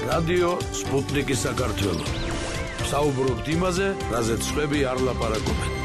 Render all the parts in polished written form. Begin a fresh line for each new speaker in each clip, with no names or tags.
რადიო სპუტნიკი საქართველო. საუბრობთ იმაზე, რაზეც სხვები არ ლაპარაკობენ.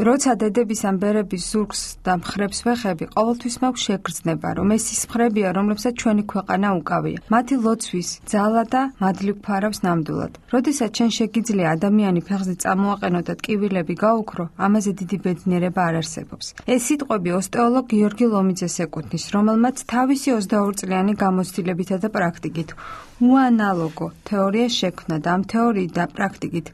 როცა დედების ან ბერების ზურგს და მხრებს ვეხები, ყოველთვის მაქვს შეგრძნება, რომ ეს ის მხრებია, რომლებსაც ჩვენი ქვეყანა უკავია. მათი ლოცვის ძალა და მადლი გვფარავს ნამდვილად. როდესაც ჩვენ შეგიძლია ადამიანი ფეხზე წამოაყენო და ტკივილები გაუქრო, ამაზე დიდი ბედნიერება არ არსებობს. ეს სიტყვები ოსტეოლოგ გიორგი ლომიძეს ეკუთვნის, რომელმაც თავისი 22 წლიანი გამოცდილებითა და პრაქტიკით უანალოგო თეორია შექმნა და ამ თეორიით და პრაქტიკით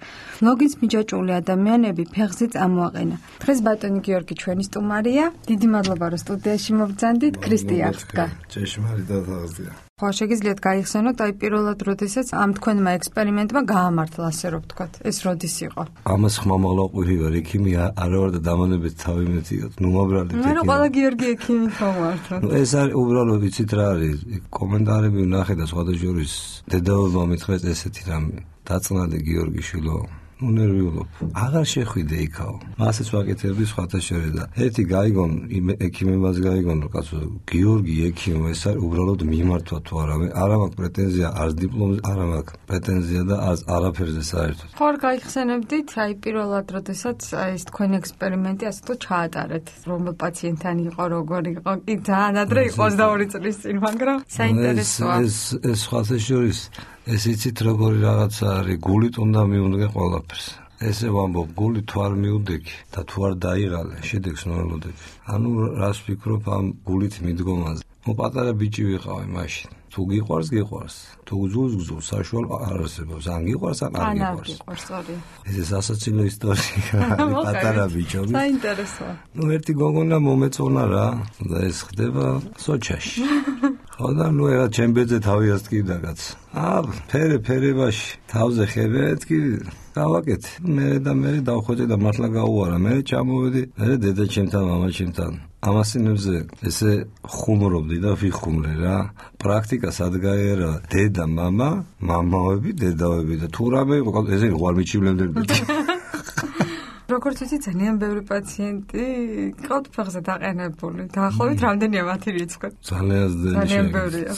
ლოგინს მიჯაჭვული ადამიანები ფეხზე წამოაყენა. დღეს ბატონი გიორგი ჩვენი სტუმარია. დიდი მადლობა რომ სტუდიაში მოგბრძანდით. ქრისტია ხდგა.
ჭეშმარიტად აღზია.
ხო, შეგიძლიათ გაიხსენოთ, აი პირველად როდესაც ამ თქვენმა ექსპერიმენტმა გაამართლა, ასე რომ ვთქვათ, ეს როდის იყო?
ამას ხმამაღლა ყვირი ვარ, ექიმი არა ვარ და დამანებით თავი მეტიოთ. ნუ მობრალდით
ექიმი. მე ყველა გიორგი ექიმი თომართო.
ეს არის უბრალოდ ვიცით რა არის, კომენტარები ვნახე და სხვათა შორის დედაობა მითხრეს ესეთი რამე. დაწნადი გიორგიშვილო. ნერვიულობ. აღარ შეხვიდე იქაო. მასეც ვაკეთებდი სხვათა შორის და ერთი გაიგონ ექიმებას გაიგონ რომ კაცო გიორგი ექიმო ეს არის უბრალოდ მიმართვა თუ არა მე არ მაქვს პრეტენზია არც დიპლომზე არ მაქვს პრეტენზია და არც არაფერზე საერთოდ.
ხო არ გაიხსენებდით აი პირველად როდესაც აი ეს თქვენი ექსპერიმენტი ასე თუ ჩაატარეთ რომელ პაციენტთან იყო როგორი იყო კი ძალიან ადრე იყო 22 წლის წინ მაგრამ საინტერესოა.
ეს სხვათა შორის ეს იცით როგორი რაღაცა არის გულით უნდა მიუდგე ყველაფერს. ესე ვამბობ გული თუ არ მიუდექი და თუ არ დაიღალე შედეგს ნოლოდები. ანუ რას ვფიქრობ ამ გულით მიდგომაზე. მო პატარა ბიჭი ვიყავი მაშინ. თუ გიყვარს გიყვარს. თუ გძულს საშუალო არ არსებობს. ან გიყვარს ან არ გიყვარს. ეს სასაცილო ისტორია პატარა ბიჭები.
საინტერესოა.
ნუ ერთი გოგონა მომეწონა რა და ეს ხდება სოჩაში. ხო და ნუ ეხლა ჩემ ბედზე თავი ასტკივდა კაც. ფერებაში თავზე ხებეთკი გავაკეთე. მე დავხვეწე და მართლა გაუარა. მე ჩამოვედი, მე დედა ჩემთან, მამა ჩემთან. ამასინებზე ესე ხუმრობდი და ვიხუმრე რა. პრაქტიკა სად გაიარა? დედა, მამა, მამაები, დედაები და თუ რამე იყო, ესე ვარ მიჩივლენდები.
როგორც ვიცი, ძალიან ბევრი პაციენტი ყავთ ფეხზე დაყენებული. დაახლოებით რამდენია მათი რიცხვი?
ძალიან ბევრია.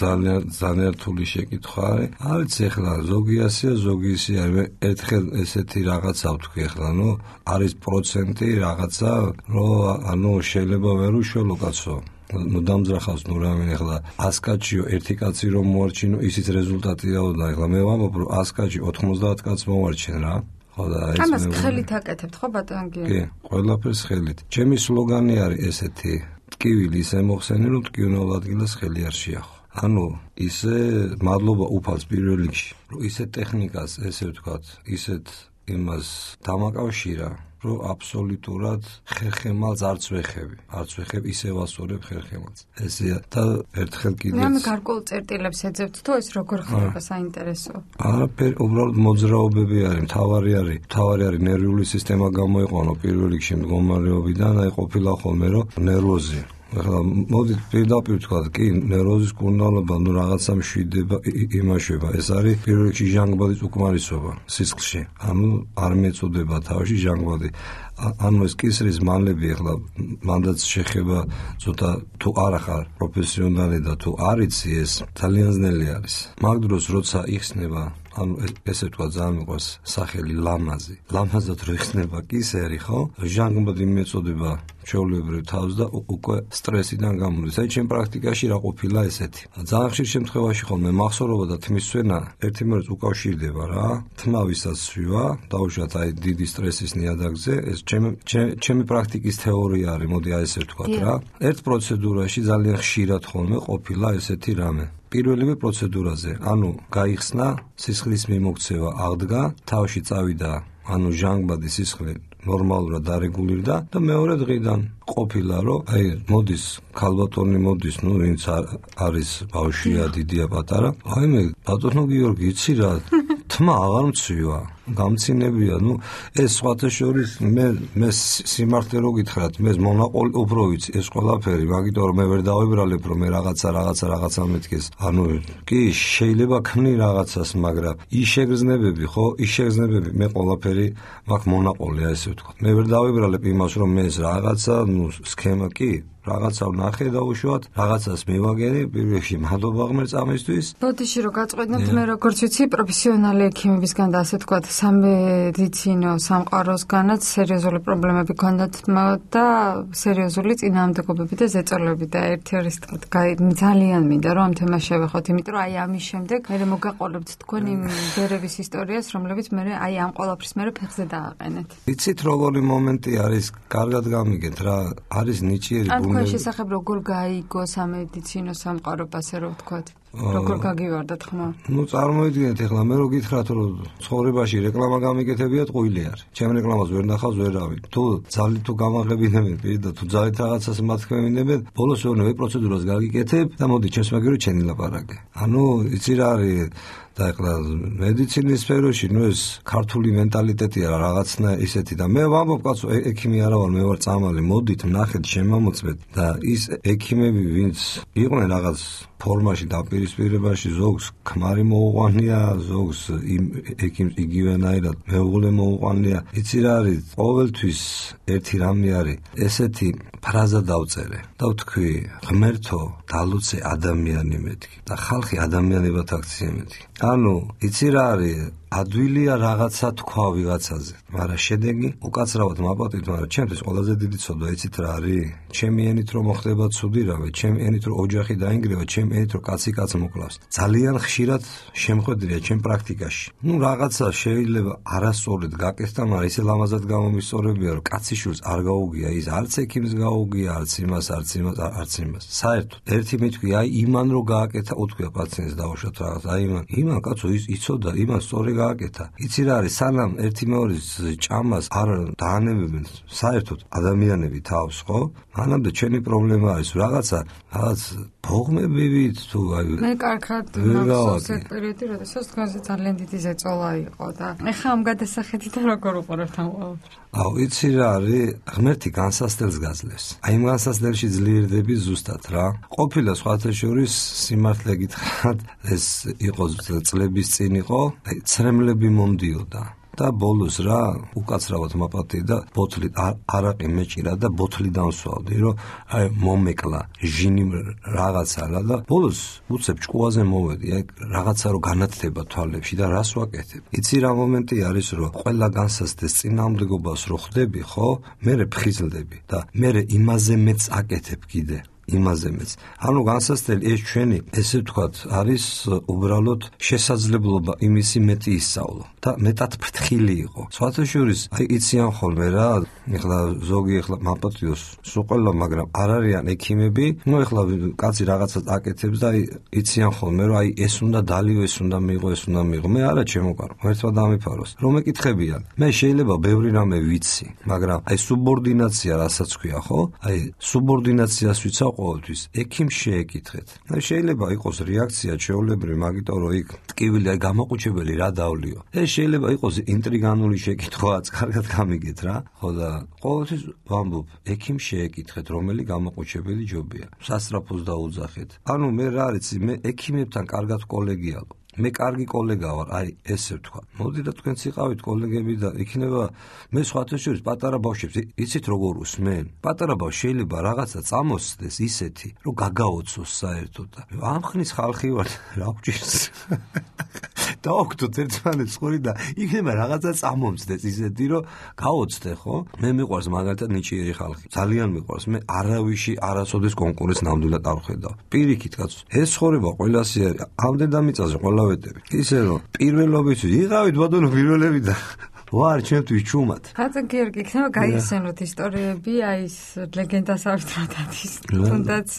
ძალიან რთული შეკითხვა არის. არც ეხლა ზოგი ასია, ზოგი ისე არის. მე ერთხელ ესეთი რაღაცა ვთქვი ეხლა, ნუ არის პროცენტი რაღაცა, რომ ანუ შეიძლება ვერ უშველო კაცო. ნუ დამძრახავს ნუ რამე ეხლა 100 კაციო ერთი კაცი რომ მოარჩინო, ისიც რეზულტატიაო და ეხლა მე ვამბობ რომ 100 კაცი 90 კაცს მოვარჩენ რა.
ამას ხელით აკეთებთ ხო ბატონ გიორგი?
კი, ყველაფერს ხელით. ჩემი სლოგანი არის ესეთი: ტკივილი ისე მოხსენი, რომ ტკივნეულ ადგილას ხელი არ შეახო. ანუ ისე მადლობა უფალს პირველ რიგში, რომ ისეთ ტექნიკას, ესე ვთქვათ, ისეთ იმას დამაკავშირა, რომ აბსოლუტურად ხერხემალს არც ვეხები, ისე ვასწორებ ხერხემალს. ესეა და ერთხელ კიდეც.
მე გარკვეულ წერტილებს ეძებთ თუ ეს როგორ ხდება საინტერესო.
არაფერი, უბრალოდ მოძრაობები არის, მთავარი არის ნერვიული სისტემა გამოიყვანო პირველ რიგში მდგომარეობიდან, აი ყოფილა ხოლმე რომ ნერვოზი. ეხლა მოდით პირდაპირ ვთქვათ, კი, ნერვოზის კურნალობა, ნუ რაღაცა მშვიდება, იმაშება. ეს არის პირველ რიგში ჟანგბადის უკმარისობა სისხლში. ანუ არ მეწოდება თავში ჟანგბადი. ანუ ეს კისრის მანლები ეხლა მანდაც შეხება ცოტა თუ არ ახარ პროფესიონალი და თუ არ იცი ეს ძალიან ძნელი არის. მაგ დროს როცა იხსნება ანუ ესე თქვა ძალიან მიყვარს სახელი ლამაზი. ლამაზად რო იხსნება კისერი, ხო? ჟანგბადი მეწოდება ჩვეულებრივ თავს და უკვე სტრესიდან გამოდის. აი ჩემ პრაქტიკაში რა ყოფილა ესეთი. ძალიან ხშირ შემთხვევაში ხოლმე მახსოვრობა და თმის სვენა ერთიმერეს უკავშირდება რა. თმა ვისაც სვივა, დაუშვათ აი დიდი სტრესის ნიადაგზე, ეს ჩემი პრაქტიკის თეორია არის, მოდი აი ესე ვთქვათ რა. ერთ პროცედურაში ძალიან ხშირად ხოლმე ყოფილა ესეთი რამე. პირველივე პროცედურაზე, ანუ გაიხსნა, სისხლის მიმოქცევა აღდგა, თავში წავიდა, ანუ ჟანგბადი სისხლი ნორმალურად დარეგულირდა და მეორე დღიდან ყოფილა, რომ აი მოდის ქალბატონი მოდის, ნუ ვინც არის ბავშვია, დიდია, პატარა. აი მე ბატონო გიორგი, იცი რა, თმა აღარ მცვივა. გამცინებია, ნუ ეს სხვათა შორის მე სიმართლე რო გითხრათ, მე მონაყოლი უფრო ვიცი ეს ყველაფერი, მაგიტომ რომ მე ვერ დავიბრალებ რომ მე რაღაცა მეთქეს. ანუ კი შეიძლება ქმნი რაღაცას, მაგრამ ის შეგრძნებები, ხო, მე ყველაფერი მაგ მონაყოლია, ესე ვთქვათ. მე ვერ დავიბრალებ იმას რომ მე ეს რაღაცა, ნუ სქემა კი რაღაცა ვნახე და უშუალოდ რაღაცას მივაგენი, პირველში მადლობა ღმერთს ამისთვის.
ბოდიში რომ გაწყვეტნებთ, მე როგორც ვიცი, პროფესიონალი ექიმებისგან და ასე ვთქვათ, სამედიცინო სამყაროსგანაც სერიოზული პრობლემები ჰქონდათ და სერიოზული წინააღმდეგობები და ზეწოლები და ერთი არის ძალიან მინდა რომ ამ თემას შევეხოთ, იმიტომ რომ აი ამის შემდეგ მე მოგაყოლებთ თქვენ იმ ბერების ისტორიას, რომლებიც მე აი ამ ყველაფრის მე ფეხზე დააყენეთ.
იცით როგორი მომენტი არის, კარგად გამიგეთ რა, არის ნიჭიერი
ბუნები. ამ შესახებ როგორ გაიგო სამედიცინო სამყარო, ასე რომ ვთქვათ. როგორ გაგივარდათ ხმა?
წარმოიდგინეთ ახლა მე რო გითხრათ რომ ცხოვრებაში რეკლამა გამიკეთებიათ ყვილი არის. ჩემ რეკლამას ვერ ნახავს ვერავინ. თუ ძალით თუ გამაღებინებენ და თუ ძალით რაღაცას მათქმევინებენ, ბოლოს ვეუბნები პროცედურას გაგიკეთებ და მოდი ჩემს მაგერო ჩენი ლაპარაკე. იცი რა არის და ახლა მედიცინის სფეროში ეს ქართული მენტალიტეტია რაღაცნა ისეთი და მე ვამბობ კაცო ექიმი არა ვარ, მე ვარ წამალი, მოდით ნახეთ შემამოწმეთ და ის ექიმები ვინც იყვნენ რაღაც ფორმაში დაპირისპირებაში, ზოგს ქმარი მოუყვანია, ზოგს ექიმს იგივენაირად მეუღლე მოუყვანია. იცი რა არის, ყოველთვის ერთი რამე არის, ესეთი ფრაზა დავწერე და ვთქვი, ღმერთო დალოცე ადამიანი მეთქი და ხალხი ადამიანებად აქცია მეთქი. იცი რა არის, ადვილია რაღაცა თქვა ვიღაცაზე, მაგრამ შედეგი უკაცრავად მაპატივთ, მაგრამ ჩემთვის ყველაზე დიდი ცოდვა იცით რა არის? ჩემი ენით რომ მოხდება ცუდი რამე, ჩემი ენით რომ ოჯახი დაინგრევა, ჩემი ენით რომ კაცი კაცს მოკლავს. ძალიან ხშირად შემხედრია ჩემ პრაქტიკაში. რაღაცა შეიძლება არასწორად გაკეთდა, მაგრამ ისე ლამაზად გამომისწორებია, რომ კაცი შვილს არ გაუგია ის, არც ექიმს გაუგია, არც იმას. საერთოდ ერთი მითქვი, აი იმან რო გააკეთა, უთქვია პაციენტს დაუშვათ რაღაც, აი იმან კაცო ის იცოდა, იმან სწორი გააკეთა. იცი რა არის, სანამ ერთი მეორის ჭამას არ დაანებებენ საერთოდ ადამიანები თავს, ხო? მანამდე ჩემი პრობლემა არის რაღაც ფողმებივით თუ აი
მე კარგად მახსოვს ეს პერიოდი, როდესაც თქვენზე ძალიან დიდი ზეწოლა იყო და ეხლა ამ გადასახედიდან როგორ უყურებთ ამ ყველაფერს?
იცი რა არის, ღმერთი განსასწრებს გაძლევს. აი იმ განსასწრებში ძლიერდები ზუსტად რა. ყოფილა სხვათა შორის სიმართლე გითხრათ, ეს იყო წლების წინ იყო, აი ცრემლები მომდიოდა. და ბოლოს რა უკაცრავად მაპატი და ბოთლი არაყი მეჭირა და ბოთლი დამსვავდი, რომ აი მომეკლა ჟინი რაღაცა რა და ბოლოს უცებ ჭკუაზე მოვედი, აი რაღაცა რო განათლება თვალებში და რას ვაკეთებ. იცი რა მომენტი არის, რომ ყველა განსასწრეს წინააღმდეგობას რო ხვდები, ხო? მერე ფხიზლდები და მერე იმაზე მეც აკეთებ კიდე. იმაზე მეც. განსასწრელი ეს ჩვენი, ესე ვთქვათ, არის უბრალოდ შესაძლებლობა იმისი მეტი ისწავლო და მეტად ფრთხილი იყო. სხვათა შორის, აი იციან ხოლმე რა, ეხლა ზოგი ეხლა მაპატიოს სულ ყველა, მაგრამ არ არიან ექიმები, ეხლა კაცი რაღაცას აკეთებს და აი იციან ხოლმე, რომ აი ეს უნდა დალიო, ეს უნდა მიიღო, ეს უნდა მიიღო. მე არა ჩემოყარო, ერთმა დამიფაროს. რომ ეკითხებიან, მე შეიძლება ბევრი რამე ვიცი, მაგრამ აი სუბორდინაცია რასაც ქვია, ხო? აი სუბორდინაციას ვიცავ ყოველთვის ექიმს შეეკითხეთ. შეიძლება იყოს რეაქცია ჩვეულებრივი, მაგიტომ რომ იქ ტკივილი აი გამოყუჩებელი რა დავლიო. ეს შეიძლება იყოს ინტრიგანული შეკითხვაც, კარგად გამიგეთ რა. ხო და ყოველთვის ვამბობ, ექიმს შეეკითხეთ, რომელი გამოყუჩებელი ჯობია. სასწრაფოს დაუძახეთ. მე რა არის, მე ექიმებთან კარგად კოლეგიალო. მე კარგი კოლეგა ვარ, აი ესე ვთქვა. მოდი და თქვენც იყავით კოლეგები და იქნება მე სხვათა შორის პატარა ბავშვებს იცით როგორ უსმენ? პატარა ბავშვი შეიძლება რაღაცა წამოსცდეს ისეთი, რომ გაგაოცოს საერთოდ და ამ ხნის ხალხი ვარ, რა გვჭირს? დაოგდოთ ერთმანეთს ხური და იქნება რაღაცა წამომცდეს ისეთი, რომ გაოცდე, ხო? მე მიყვარს მაგალითად ნიჭიერი ხალხი. ძალიან მიყვარს. მე არავიში არასოდეს კონკურენს ნამდვილად არ ვხედავ. პირიქით კაცო, ეს ცხოვრება ყველასი არის. ამდენ დამიწაზე ყველა ისე რომ პირველობით იყავით ბატონო პირველები და ვარ ჩემთვის ჩუმად.
ხატენ გიორგი, იქნება გაიხსენოთ ისტორიები, აი ეს ლეგენდასავით როდადის. თუნდაც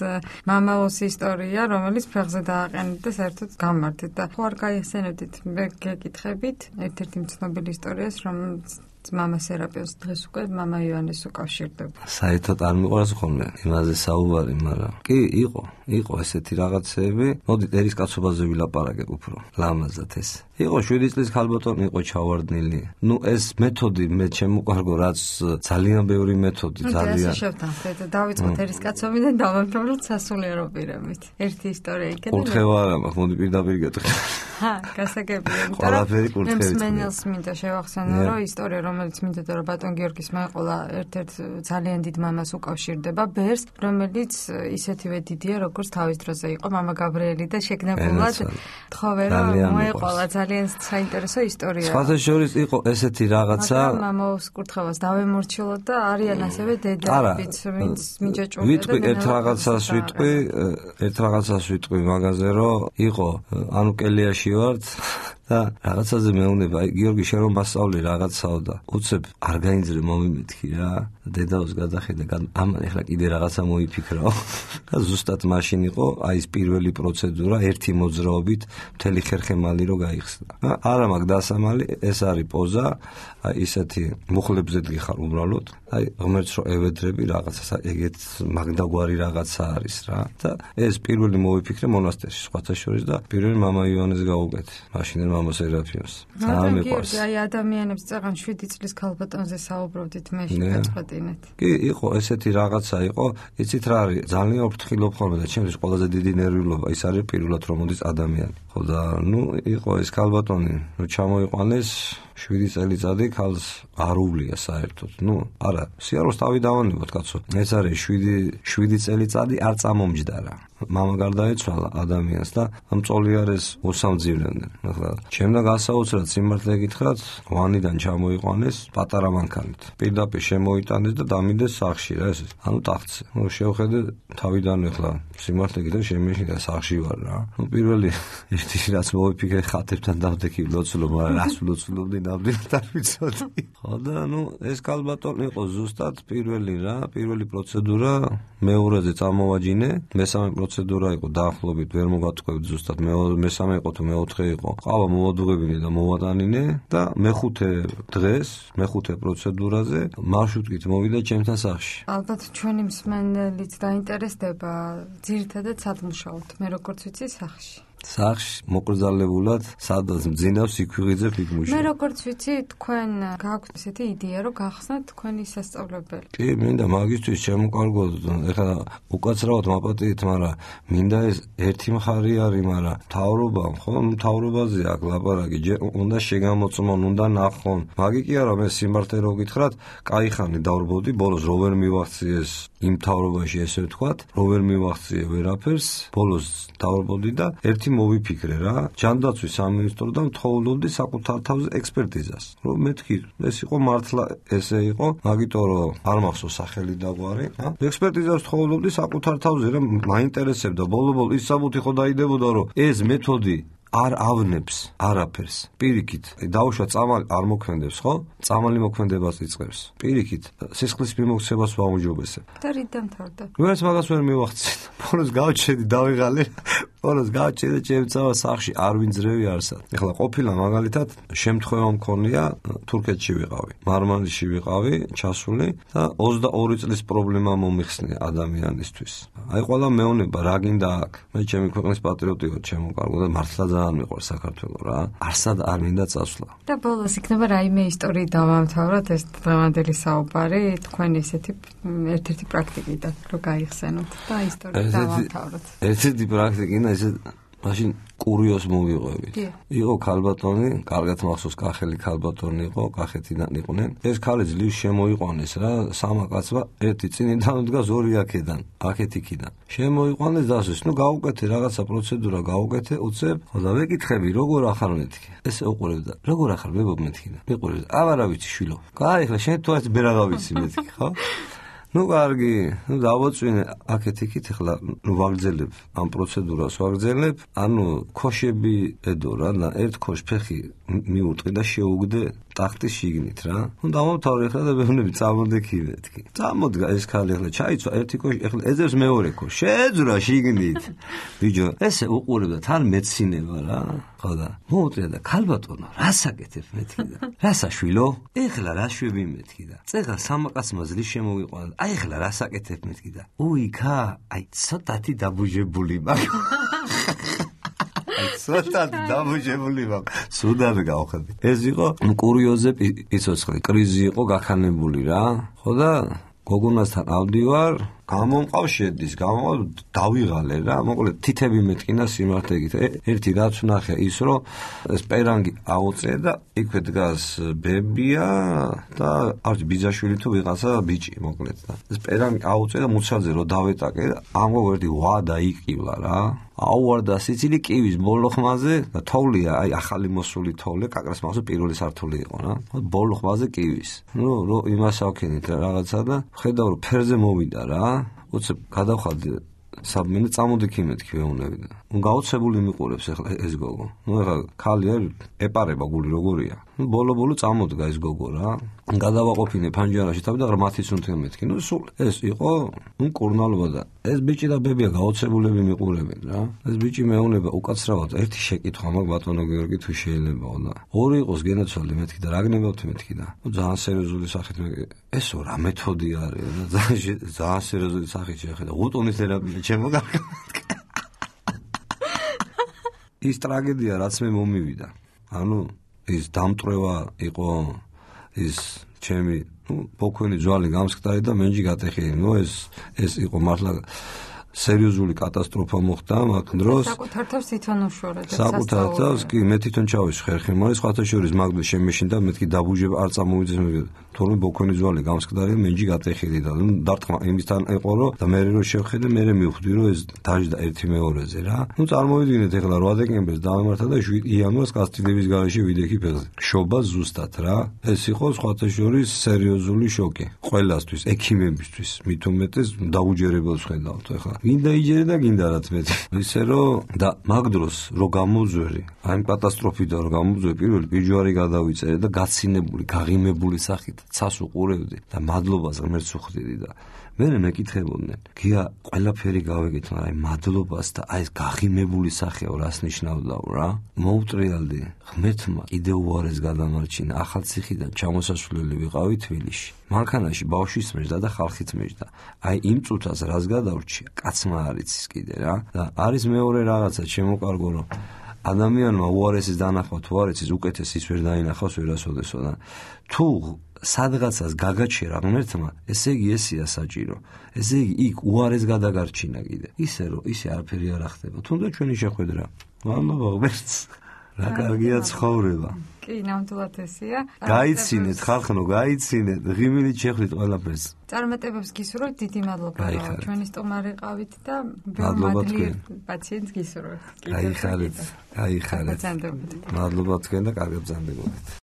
მამაოს ისტორია, რომელიც ფეხზე დააყენეთ და საერთოდ გამართეთ და ხო არ გაიხსენებდით, მე გეკითხებით ერთ-ერთი ცნობილი ისტორიას, რომელიც მამა სერაპიოს დღეს უკვე მამა იონეს უკავშირდება.
საერთოდ არ მიყვარს ხოლმე იმაზე საუბარი, მაგრამ კი იყო. იყო ესეთი რაღაცები. მოდით ერისკაცობაზე ვილაპარაკებ უფრო ლამაზად ეს. იყო 7 წლის ქალბატონი იყო ჩავარდნილი. ეს მეთოდი მე შემოყარგო, რაც ძალიან ბევრი მეთოდი, ძალიან.
ეს შევთანხმდეთ, დავიწყოთ ერისკაცობიდან დავამთავროთ სასულიერო პირებით. ერთი ისტორია იქნება.
კურთხევა არა მაქვს, მოდი პირდაპირ გეტყვი.
გასაგებია.
ყველაფერი კურთხევით.
მენელს მინდა შევახსენო, რომ ისტორია, რომელიც მინდოდა რომ ბატონ გიორგის მეყოლა ერთ-ერთ ძალიან დიდ მამას უკავშირდება, ბერს, რომელიც ისეთივე დიდია, როგორც თავის დროზე იყო მამა გაბრიელი და შეგნებულად თხოვე რომ მოეყოლა ძალიან საინტერესო ისტორია.
სხვათა შორის იყო ესეთი რაღაცა.
მამაოს კურთხევას დავემორჩილოთ და არიან ასევე დედაებიც, ვინც მიჯაჭვურდა და
ვიტყვი ერთ რაღაცას ვიტყვი მაგაზე რომ იყო ანუ კელიაში ვართ და რაღაცაზე მეუნება, აი გიორგი შენ რომ მასწავლე რაღაცაო და უცებ არ გაინძრე მომიმეთქი რა. დედაოს გადახედა, ამან ეხლა კიდე რაღაცა მოიფიქრაო. და ზუსტად მაშინ იყო აი ეს პირველი პროცედურა ერთი მოძრაობით მთელი ხერხემალი რო გაიხსნა. არა მაგ დასამალი, ეს არის პოზა, აი ისეთი მუხლებზე დგიხარ უბრალოდ. აი ღმერთს რო ევედრები რაღაცას, ეგეთ მაგდაგვარი რაღაცა არის რა. და ეს პირველი მოვიფიქრე მონასტერში სხვათა შორის და პირველი მამა ივანეს გაუკეთე. მაშინ მამა სერაფიმს. ძალიან მიყვარს.
აი ადამიანებს წაღან 7 წლის ქალბატონზე საუბრობდით მე შეწყვეტინეთ.
კი, იყო ესეთი რაღაცა იყო, იცით რა არის, ძალიან ვფრთხილობ ხოლმე და ჩემთვის ყველაზე დიდი ნერვიულობა ის არის პირველად რომ მოდის ადამიანი. ხო და იყო ეს ქალბატონი, რომ ჩამოიყვანეს 7 წელიწადი ქალს არ უვლია საერთოდ. არა, სიაროს თავი დავანებოთ კაცო. ეს არის 7 წელიწადი არ წამომჯდარა. მამა გარდაეცვალა ადამიანს და ამ წოლიარეს უსამძივრდნენ. ახლა ჩემდა გასაოცრად სიმართლე გითხრათ, ვანიდან ჩამოიყვანეს პატარა მანქანით. პირდაპირ შემოიტანეს და დამინდეს სახლში რა ეს. ანუ ტახტზე. შევხედე თავიდან ახლა სიმართლე გითხრათ შემეშინდა სახლში ვარ რა. პირველი ერთი რაც მოვიფიქრე ხათებთან დავდექი ლოცულობ, მაგრამ რას ლოცულობდი ნამდვილად არ ვიცოდი. ხო და ეს ქალბატონი იყო ზუსტად პირველი რა, პირველი პროცედურა, მეორეზე წამოვაჯინე, მესამე პროცედურა იყო დაახლოებით ვერ მოგატყუებთ ზუსტად, მესამე იყო თუ მეოთხე იყო. ყავა მოვადუღებინე და მოვატანინე და მეხუთე დღეს, მეხუთე პროცედურაზე მარშრუტით მოვიდა ჩემთან სახლში.
ალბათ ჩვენი მსმენელიც დაინტერესდება, ძირითადად სად მუშაობთ, მე როგორც ვიცი სახლში.
სახლში მოკრძალებულად სადაც მძინავს იქვიღიძებ იქ მუშაობ.
მე როგორც ვიცი თქვენ გააქვთ ესეთი იდეა რომ გახსნათ თქვენი სასწავლებელი.
კი, მინდა მაგისთვის შემოყარგოთ, ეხლა უკაცრავად მაპატიეთ, მაგრამ მინდა ეს ერთი მხარი არის, მაგრამ მთავრობამ, ხო, მთავრობაზე აქ ლაპარაკი, უნდა შეგამოწმონ, უნდა ნახონ. მაგი კი არა, მე სიმართლე რო გითხრათ, კაი ხანი დავრბოდი, ბოლოს რო ვერ მივახციეს იმ მთავრობაში ესე ვთქვათ, რო ვერ მივახციე ვერაფერს, ბოლოს დავრბოდი და ერთი მოვიფიქრე რა, ჯანდაცვის სამინისტროდან თხოვლობდი საკუთარ თავზე ექსპერტიზას. რომ მეთქი, ეს იყო მართლა ესე იყო, მაგიტომ რომ არ მახსოვს სახელი და გვარი, ექსპერტიზას თხოვლობდი საკუთარ თავზე, რომ მაინტერესებდა, ბოლო-ბოლო ის საბუთი ხო დაიდებოდა, რომ ეს მეთოდი არ ავნებს არაფერს. პირიქით, დაუშვა წამალი არ მოქმედებს, ხო? წამალი მოქმედებას იწყებს. პირიქით, სისხლის მიმოქცევას ვაუმჯობესებ.
და რით დამთავრდა?
ვერც მაგას ვერ მივახცეთ. ბოლოს გავჩედი, დავიღალე. ბოლოს გავჩედი ჩემცავა სახლში არ ვინძრევი არსად. ეხლა ყოფილა მაგალითად შემთხვევა მქონია თურქეთში ვიყავი. მარმარილში ვიყავი, ჩასული და 22 წლის პრობლემა მომიხსნია ადამიანისთვის. აი ყველა მეუნება რა გინდა აქ. მე ჩემი ქვეყნის პატრიოტი ვარ, შემოყარგო და მართლა ძალიან მიყვარს საქართველო რა. არსად არ მინდა წასვლა.
და ბოლოს იქნება რაიმე ისტორიით დავამთავროთ ეს დღევანდელი საუბარი, თქვენი ესეთი ერთ-ერთი პრაქტიკიდან რო გაიხსენოთ და ისტორიით დავამთავროთ.
ერთ-ერთი პრაქტიკინა ესე მაშინ კურიოს მოვიყვებით. იყო ქალბატონი, კარგად მახსოვს, კახელი ქალბატონი იყო, კახეთიდან იყვნენ. ეს ქალი ძლივს შემოიყვანეს რა, სამა კაცმა, ერთი წინიდან დგას, ორი აქედან, აქეთ იქიდან. შემოიყვანეს დასვეს, გაუკეთე რაღაცა პროცედურა გაუკეთე, უცებ, და ვეკითხები, როგორ ახარ მეთქი. ესე უყურებდა, როგორ ახარ მეთქი. მიყურებდა, აბარა ვიცი შვილო. კაი, ახლა შენ თუ ეს ბერაღა ვიცი მეთქი, ხო? კარგი, დავაწვინე აქეთ იქით, ახლა ვაგრძელებ ამ პროცედურას ვაგრძელებ, ანუ ქოშები ედო რა, ერთ ქოშ ფეხი მიუტყი და შეუგდე ტახტის შიგნით რა. ნუ დამომთავრე ხა და მეუბნები წამოდი კი მეთქი. წამოდი ეს ქალი ახლა ჩაიცვა ერთი კოშკი ახლა ეძებს მეორე კოშკი. შეძრა შიგნით. ბიჭო, ესე უყურებდა თან მეცინება რა. ხო და მოუწია და ქალბატონო, რას აკეთებ მეთქი და. რას აშვილო? ეხლა რა შვები მეთქი და. წეღა სამაკაცმა ზლის შემოვიყვანა. აი ეხლა რას აკეთებ მეთქი და. უიქა, აი ცოტათი დაბუჟებული მაქვს. სოთად დამოჟებული მაქვს. სუდად გავხდი. ეს იყო კურიოზზე პიცოცხლი, კრიზი იყო გაქანებული რა. ხო და გოგონასთან ავდივარ, გამომყავს შედის, დავიღალე რა. მოკლედ თითები მეტკინა სიმართლეებით. ერთი რაც ვნახე ის რომ ეს პერანგი აუწე და იქვე დგას ბებია და არც ბიძაშვილი თუ ვიღაცა ბიჭი მოკლედ და ეს პერანგი აუწე და მუცაძე რომ დავეტაკე და ამბობ ერთი ვა და იყილა რა. აუვარდა სიცილი კივის ბოლო ხმაზე და თოვლია, აი ახალი მოსული თოვლი, კაკრას მაგაზე პირველი სართული იყო რა. ბოლო ხმაზე კივის. ნუ რო იმას ავქენით რაღაცა და ხედავ რომ ფერზე მოვიდა რა. უცებ გადავხალდი საბმენე წამოდი კი მეთქი ვეუნები და ნუ გაოცებული მიყურებს ახლა ეს გოგო. ნუ ახლა ქალი არ ეპარება გული როგორია. ნუ ბოლო წამოდგა ეს გოგო რა. გადავაყოფინე ფანჯარაში თავი და ღრმათიც უნდა მეთქი. ნუ სულ ეს იყო ნუ კურნალობა და ეს ბიჭი და ბებია გაოცებულები მიყურებენ რა. ეს ბიჭი მეუნება უკაცრავად ერთი შეკითხვა მაქვს ბატონო გიორგი თუ შეიძლებაო და ორი იყოს გენაცვალე მეთქი და რა გნებავთ მეთქი და ნუ ძალიან სერიოზული სახით ესო რა მეთოდი არის და ძალიან სერიოზული სახით შეხედა უტონის თერაპია ჩემო ის ტრაგედია რაც მე მომივიდა ანუ ის დამტრევა იყო ის ჩემი ბოქვენი ძვალი გამსკდარი და მენჯი გატეხილი ნუ ეს იყო მართლა სერიოზული კატასტროფა მოხდა მაგ დროს
საკუთარ თავს თვითონ უშორეთ
საკუთარ თავს კი მე თვითონ ჩავეს ხერხი მაგრამ სხვათა შორის მაგდ შემეშინდა მეთქი დაბუჟება არ წამოვიძეს თორემ ბოქვენი ძვალი გამსკდარი მენჯი გატეხილი და დარტყმა იმისთან ეყო რომ და მე რო შევხედე მე მივხვდი რომ ეს დაждდა ერთი მეორეზე რა ნუ წარმოვიდგინეთ ეხლა 8 დეკემბერს დავემართა და 7 იანვარს კასტილების გარეშე ვიდექი ფეხზე შობა ზუსტად რა ეს იყო სხვათა შორის სერიოზული შოკი ყველასთვის ექიმებისთვის მით უმეტეს დაუჯერებელს ხედავთ ეხლა გინდა იჯერე და გინდა რაც მე ისე რომ და მაგ დროს რო გამოძვერი აი კატასტროფიდან რო გამოძვერი პირველი პიჯვარი გადავიწერე და გაცინებული გაღიმებული სახით ცას უყურებდი და მადლობას ღმერთს უხდიდი და მე მეკითხებოდნენ გია ყველაფერი გავიგეთ მაგრამ მადლობას და აი ეს გაღიმებული სახეო რას ნიშნავდაო რა მოუტრიალდი ღმერთმა კიდევ უარეს გადამარჩინა ახალციხიდან ჩამოსასვლელი ვიყავი თბილისში მანქანაში ბავშვის მეჯდა და ხალხით მეჯდა აი იმ წუთას რას გადავრჩია კაცმა არ იცის კიდე რა და არის მეორე რაღაცა შემოკარგო რომ ადამიანმა უარესის დანახვა თუ არ იცის უკეთესის ვერ დაინახავს ვერასოდესო და თუ სადღაცას გაგაჩერა ღმერთმა ესე იგი ესია საჭირო ესე იგი იქ უარეს გადაგარჩინა კიდე ისე რომ ისე არაფერი არ ახდება თუნდაც ჩვენი შეხვედრა მადლობა ღმერთს რა კარგია ცხოვრება
კი ნამდვილად ესეა
გაიცინეთ ხალხო გაიცინეთ ღიმილით შეხვდით ყველაფერს
წარმატებებს გისურვებთ დიდი მადლობა რომ ჩვენი სტუმარი ყავით და მადლობა პაციენტს გისურვებთ
გაიხარეთ მადლობა თქვენ და კარგად ბრძანდებოდეთ